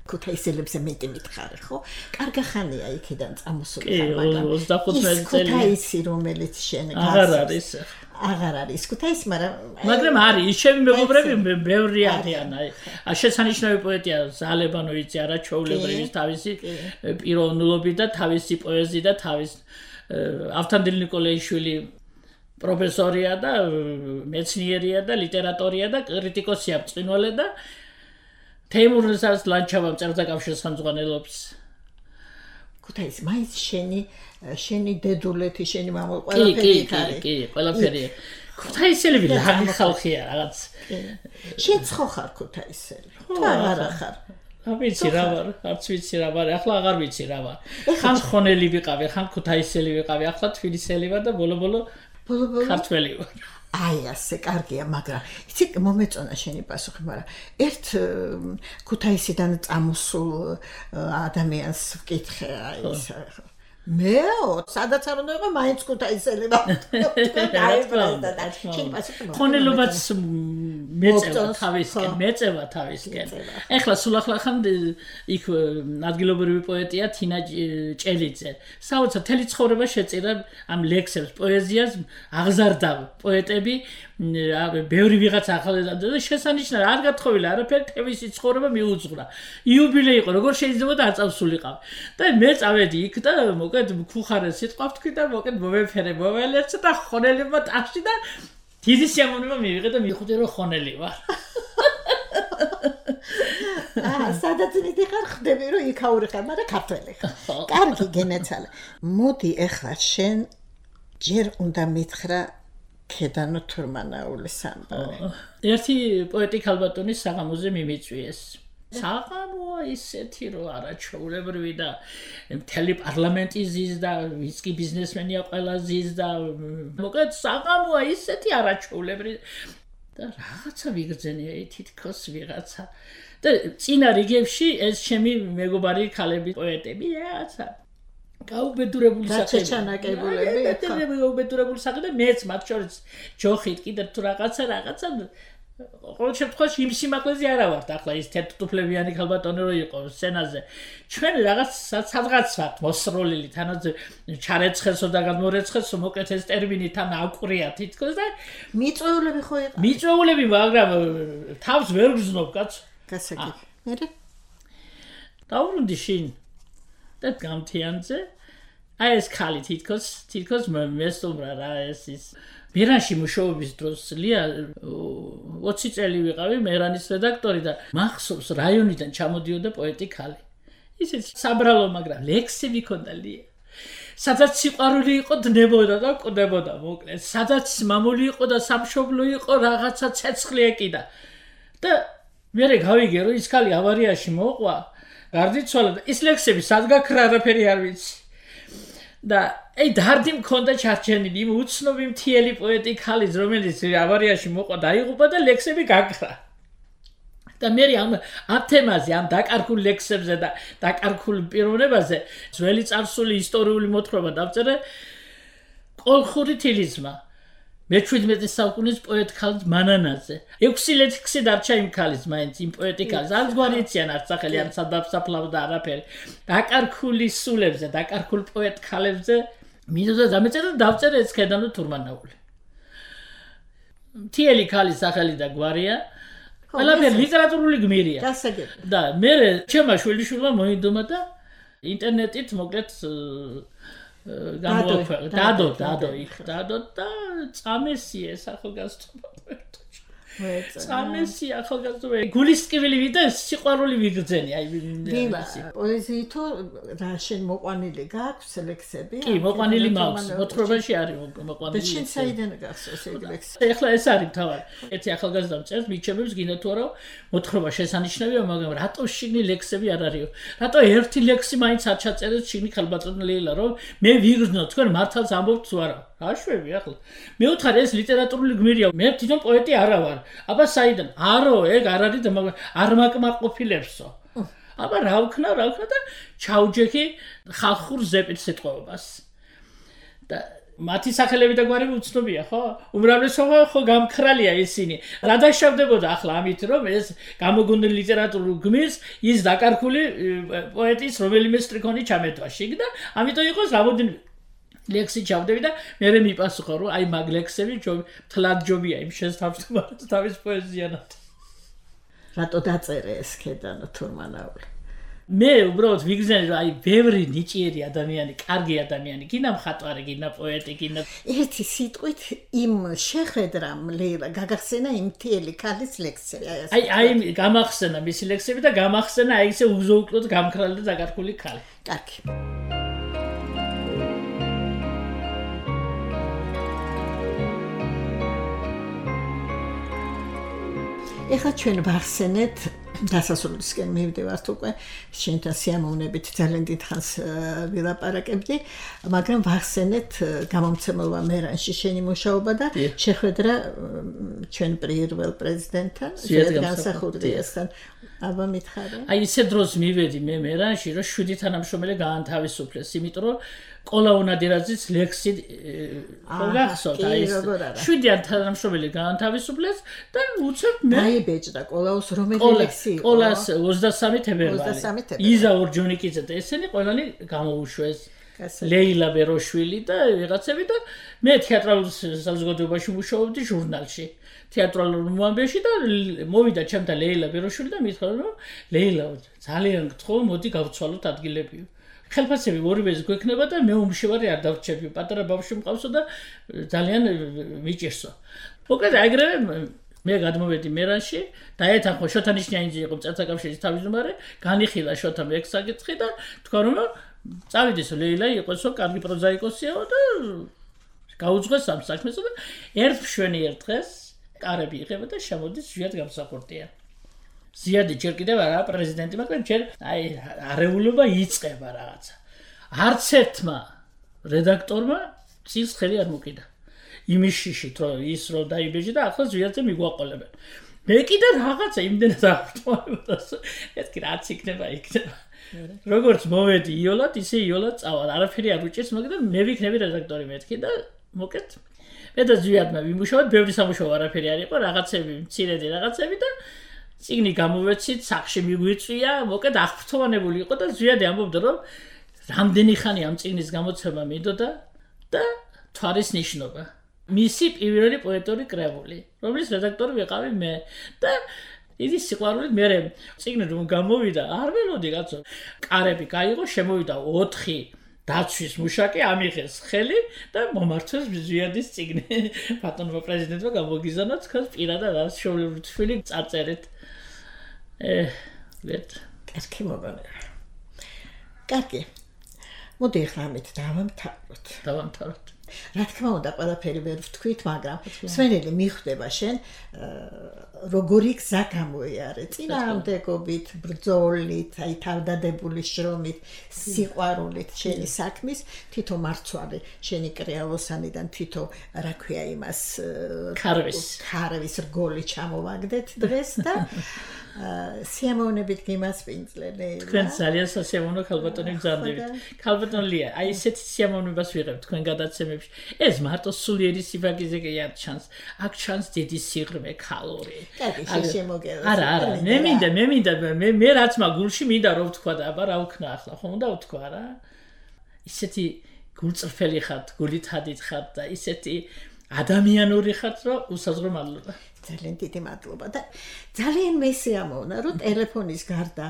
ქუთაისელებზე მეტი მითხარი ხო? კარგი ხანია იქიდან წამოსული ხარ, მაგრამ 25 წელი. ქუთაისი რომელიც შენ აღარ არის ქუთაისი, მაგრამ არის ჩემი მეგობრები ბევრი არიან. აი შესანიშნავი პოეტია ზალებანოვიცი არაჩვეულებრივი თავისი პიროვნულობით და თავისი პოეზიით და თავის ავთანდილ ნიკოლაიშვილი პროფესორია და მეცნიერია და ლიტერატორია და კრიტიკოსია მწვინვალე და თეიმურზას ლანჩავამ წერდა კავშირს ხელმძღვანელობს. ქუთაისი მაინც შენი დედულეთი, შენი მამა ყველაფერი არის. კი, ყველაფერი. ქუთაისელები ლაღი ხალხია რაღაც. შენ ცხო ხარ ქუთაისელი. თუ არა ხარ. ვიცი რა ვარ, არც ვიცი რა ვარ, ახლა აღარ ვიცი რა ვარ. ხან ხონელი ვიყავი, ხან ქუთაისელი ვიყავი, ახლა თბილისელი ვარ და ბოლო ქართველი ვარ. აი ასე კარგია, მაგრამ იცი მომეწონა შენი პასუხი, მაგრამ ერთ ქუთაისიდან წამოსულ ადამიანს ვკითხე აი ეს მე სადაც არ უნდა იყო მაინც ქუთაისელი ვარ. ხონელობაც მეწევა თავისკენ. ეხლა სულ ახლა ხან იქ ადგილობრივი პოეტია თინა ჭელიძე. საოცარ თელი ცხოვრება შეწირა ამ ლექსებს, პოეზიას აღზარდა პოეტები, ბევრი ვიღაც ახალ და შესანიშნავი არ გათხოვილა არაფერი თემისი ცხოვრება მიუძღვრა. იუბილეი იყო, როგორ შეიძლება და არ წავსულიყავ. და მე წავედი იქ და მოკეთ ხუხარე სიტყვა ვთქვი და მოკეთ მომეფერე მოველერცე და ხონელებმა ტახში და დიდი შემონება მივიღე და მივხვდი რომ ხონელი ვარ. სადაც მიდიხარ ხდები რომ იქაური ხარ, მაგრამ ქართველი ხარ. კარგი გენაცვალე. მოდი ახლა შენ ჯერ უნდა მითხრა ქედანო თურმანაულის ამბავი. ერთი პოეტი ქალბატონის საღამოზე მიმიწვიეს. საღამოა ისეთი რომ არაჩვეულებრივი და მთელი პარლამენტი ზის და ვიც კი ბიზნესმენია ყველა ზის და მოკლედ საღამოა ისეთი არაჩვეულებრივი და რაღაცა ვიგრძენია თითქოს ვიღაცა და წინა რიგებში ეს ჩემი მეგობარი ქალები პოეტები რაღაცა გაუბედურებული საქმე და მეც მათ შორის ჯოხით კიდევ თუ რაღაცა ყოველ შემთხვევაში იმ სიმაღლეზე არა ვართ ახლა ის თეთრტუფლებიანი ქალბატონი რო იყო სცენაზე ჩვენ რაღაც სადღაც ვართ მოსროლილი თანაც ჩარეცხესო და გამორეცხესო მოკეთ ეს ტერმინი თან აკვრია თითქოს და მიწვეულები ხო იყო მიწვეულები მაგრამ თავს ვერ გზნობ კაცო გასაგები მე დავრუნდი შინ და გამთიანზე აი ეს ხალი თითქოს მესტუმრა რა ეს ის მერანში მუშაობის დროს ლია 20 წელი ვიყავი მერანის რედაქტორი და მახსოვს რაიონიდან ჩამოდიოდა პოეტი ხალი ისე საბრალო მაგრამ ლექსები ქონდა ლია სადაც სიყვარული იყო დნებოდა და კვდებოდა მოკლედ სადაც მამული იყო და სამშობლო იყო რაღაცა ცეცხლი ეკიდა და მე გავიგე რომ ის ხალი ავარიაში მოყვა გარდიცვალა და ის ლექსები სად გაქრა არაფერი არ ვიცი და აი დარდი მქონდა ჩარჩენილი იმ უცნობი მთიელი პოეტი ხალის რომელიც ავარიაში მოყვა დაიღუპა და ლექსები გაქრა და მე ამ თემაზე ამ დაკარგულ ლექსებზე და დაკარგულ პიროვნებაზე ძველი წარსული ისტორიული მოთხრობა დავწერე კოლხური თილისმა მე-17 საუკუნის პოეტ ხალ მანანაძე 6 ლექსი დარჩა იმ ხალის მაინც იმ პოეტი ხალს არც გვარიციან არც სახელი არც სადაფსაფლავ და არაფერი დაკარგული სულებზე დაკარგულ პოეტ ხალებზე მინდოდა დამეწერა და დავწერე ეს ქედანო თურმანაული მთიელი ხალის სახელი და გვარია ყველაფერი ლიტერატურული გმირია გასაგებია და მე ჩემმა შვილიშვილმა მოინდომა და ინტერნეტით მოკლედ დადო და წამესია ახალგაზრდობა წამესი ახალგაზრდობა გულისკივილი ვიდა სიყვარული ვიგრძენი აი დილა პოეზიითო რა შენ მოყვანილი გაქვს ლექსები კი მოყვანილი მაქვს მოთხრობაში არის მოყვანილი და შენ საიდან გახსოვს ეგ ლექსი ეხლა ეს არის თავად ერთი ახალგაზრდა წერს მიჩემებს გინდა თუ არა მოთხრობა შესანიშნავია მაგრამ რატო შიგნი ლექსები არ არისო რატო ერთი ლექსი მაინც არ ჩაწერეს შიგნი ხალბატონი ლეილა რომ მე ვიგრძნო თქვენ მართალს ამბობთ თუ არა აშვები ახლა მე ვთხარ ეს ლიტერატურული გმირია მე თვითონ პოეტი არა ვარ აბა საიდან არო ეგ არ არის და არ მაკმაყოფილებსო აბა რა ვქნა და ჩაუჯექი ხალხურ ზეპით სიტყვებას და მათი სახელები და გვარები უცნობია ხო უმრავლესობა ხო გამქრალია ისინი რა დაშავდებოდა ახლა ამით რომ ეს გამოგონილი ლიტერატურულ გმირს ის დაკარგული პოეტის რომელიმე სტრიქონი ჩამეტვა შიგ და ამიტომ იყოს რამოდენიმე ლექსი ჩავდები და მე მიპასუხა რომ აი მაგ ლექსები თლად ჯობია იმ შესთავაზებად თავის პოეზიანად რატო დაწერე ეს ქედანო თურმანაული მე უბრალოდ ვიგრძნე რომ აი ბევრი ნიჭიერი ადამიანი კარგი ადამიანი გინდა მხატვარი გინდა პოეტი გინდა ერთი სიტყვით იმ შეხედრამ ლეილა გაგახსენა იმ მთიელი ხალის ლექსები აი გამახსენა მისი ლექსები და გამახსენა აი ესე უზოუკლოდ გამქრალი და დაკარგული ხალი კარგი ეხლა ჩვენ ვახსენეთ დასასრულისკენ მივდივართ უკვე შენთან სიამოვნებით ძალიან დიდხანს ვილაპარაკებდი მაგრამ ვახსენეთ გამომცემლობა მერანში შენი მუშაობა და შეხვედრა ჩვენ პირველ პრეზიდენტთან ზვიად განსახურდიასთან აბა მითხარე აი ისე დროს მივედი მე მერანში რომ 7 თანამშრომელი გაანთავისუფლეს იმიტომ რომ კოლა უნადირაძის ლექსი გახსოვთ აი ეს 7 თანამშრომელი გაანთავისუფლეს და უცებ მე დაიბეჭდა კოლაუს რომელი ლექსი იყო კოლას 23 თებერვალი იზა ორჯონიკიძე და ესენი ყველანი გამოუშვეს ლეილა ბეროშვილი და ვიღაცები და მე თეატრალურ საზოგადოებაში მუშაობდი ჟურნალში თეატრალურ მოამბეში და მოვიდა ჩემთან ლეილა ბეროშვილი და მითხრა რომ ლეილა ძალიან გთხოვ მოდი გავცვალოთ ადგილები ხელფასები ორივეს გვექნება და მე უმშევარი არ დავრჩები პატარა ბავშვი მყავსო და ძალიან მიჭირსო მოკლედ აგრევე მე გადმოვედი მერანში დაეთანხმო შოთა ნიშნიანიძე იყო მწერთა კავშირის თავმჯდომარე განიხილა შოთამ ეგ საკითხი და თქვა რომ წავიდესო ლეილა იყოსო კარგი პროზაიკოსიო და გაუძღვეს ამ საქმესო და ერთ მშვენიერ დღეს კარები იღება და შემოდის ზვიად გამსახურდია ზიადი ჯერ კიდევ არა პრეზიდენტი მაგრამ ჯერ აი არეულობა იწყება რაღაცა არც ერთმა რედაქტორმა წილს ხელი არ მოკიდა იმის შიშით რომ ის რომ დაიბეჭდა და ახლა ზვიადზე მიგვაყოლებენ მე კიდე რაღაცა იმდენად აღწევდა ეს რაც იქნება როგორც მოვედი იოლად ისე იოლად წავალ არაფერი არ უჭირს მაგრამ მე ვიქნები რედაქტორი მეთქი და მოკეთ მე და ზვიადმა ვიმუშავოთ ბევრი სამუშაო არაფერი არ იყო რაღაცები მცირედი რაღაცები და წიგნი გამოვეცით სახში მიგვიწვია მოკეთ აღფრთოვანებული იყო და ზვიადი ამბობდა რომ რამდენი ხანი ამ წიგნის გამოცემა მინდოდა და თვარის ნიშნობა მისი პირველი პოეტური კრებული რომლის რედაქტორი ვიყავი მე და დიდი სიყვარულით მე წიგნი რომ გამოვიდა არ ველოდი კაცო კარები გაიღო შემოვიდა 4 დაცვის მუშაკი ამიღეს ხელი და მომართვეს ზვიადის წიგნი. ბატონმა პრეზიდენტმა გამოგიზანა თქვენს პირადად არის შოვლიური წარწერით. ვეთ. კარგი მოგონება. კარგი. მოდი ახლა ამით დავამთავროთ. რა თქმა უნდა, ყველაფერი ვერ ვთქვით, მაგრამ სვენელი მიხვდება შენ როგორი გზა გამოიარე წინააღმდეგობით, ბრძოლით, აი თავდადებული შრომით, სიყვარულით შენი საქმის, თითო მარცვალი შენი კრეალოსანიდან თითო, რა ქვია იმას, ქარვის რგოლი ჩამოვაგდეთ დღეს და სიამოვნებით გიმასპინძლე. თქვენ ძალიან სასიამოვნო ქალბატონი გზავნებით. ქალბატონ ლია, აი ესეთი სიამოვნებას ვიღებთ თქვენ გადაცემებში. ეს მარტო სულიერი სიფაგიზე კი არ ჩანს. აქ ჩანს დიდი სიღრმე, ქალური. კარგი, შემოგევა. არა, მე მინდა, მე რაც მაგულში მინდა რომ ვთქვა და აბა რა ვქნა ახლა, ხომ უნდა ვთქვა რა? ისეთი გულწრფელი ხართ, გულითადით ხართ და ისეთი ადამიანური ხართ, რომ უსაზღრო მადლობა. ძალიან დიდი მადლობა და ძალიან მესიამოვნა რომ ტელეფონის გარდა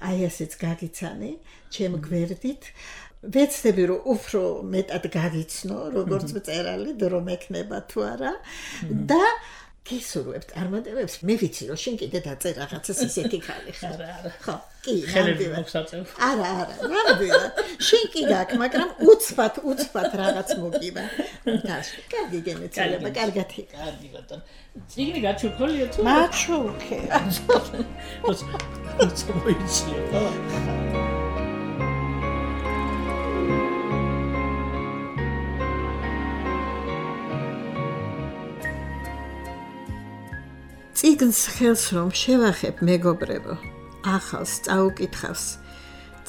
აი ასეც გაგიცანი ჩემ გვერდით ვეცდები რომ უფრო მეტად გაგიცნო როგორც მწერალი რომ ექნება თუ არა და გისურვებთ წარმატებებს მე ვიცი რომ შენ კიდე დაწერ რაღაცას ისეთი ხალი ხარ ხო კი არა ნამდვილად შენ კი გაქვს მაგრამ უცბად რაღაც მოგივა თაში კარგი გენეცილება კარგად კარგი ბატონო წიგნი გაჩუქოლია თუ მაჩუქე მოიცია წიგნს ხელს რომ შევახებ მეგობრებო ახალს წაუკითხავს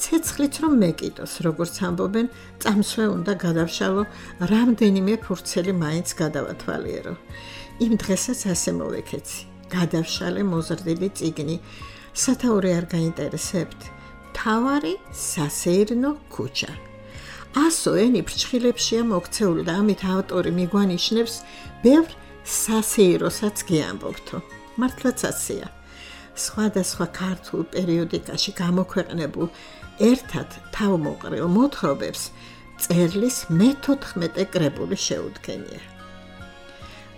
ცეცხლით რომ მეკიდოს როგორც ამბობენ წამსვე უნდა გადავშალო რამდენიმე ფურცელი მაინც გადავათვალიერო იმ დღესაც ასე მოვეკეცი გადავშალე მოზრდილი წიგნი სათაური არ გაინტერესებთ თავარი სასეირნო ქუჩა 100 ენი ფრჩხილებშია მოქცეული და ამით ავტორი მიგვანიშნებს ბევრ სასეიროსაც გიამბობთო მართლაც ასეა სხვადასხვა ქართულ პერიოდიკაში გამოქვეყნებულ ერთად თავმოყრილ მოთხრობებს წერლის მე-14 კრებული შეუდგენია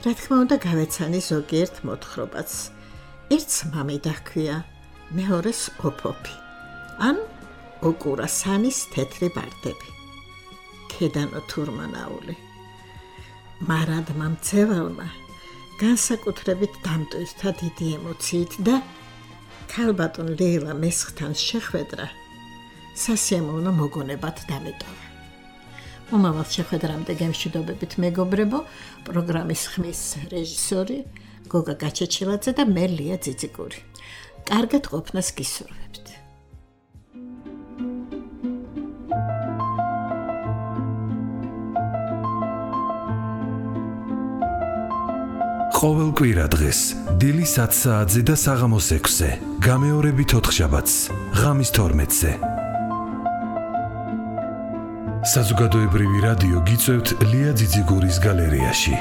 რა თქმა უნდა გავეცანი ზოგიერთ მოთხრობაც ერთს მამი დაჰქვია მეორეს ოფოფი ან ოკურასანის თეთრი ბარდები ქედანო თურმანაული მარადმა მცევალმა განსაკუთრებით დამტვირთა დიდი ემოციით და ქალბატონ ლეილა მესხთან შეხვედრა სასიამოვნო მოგონებად დამეტოვა. მომავალ შეხვედრამდე გემშვიდობებით მეგობრებო, პროგრამის ხმის რეჟისორი გოგა გაჩეჩილაძე და მე ლია ძიძიგური. კარგად ყოფნას გისურვებთ. ყოველ კვირა დღეს დილის 10 საათზე და საღამოს 6-ზე, გამეორებით 4 შაბათს, ღამის 12-ზე. საზოგადოებრივი რადიო გიწევთ ლია ძიძიგურის გალერეაში.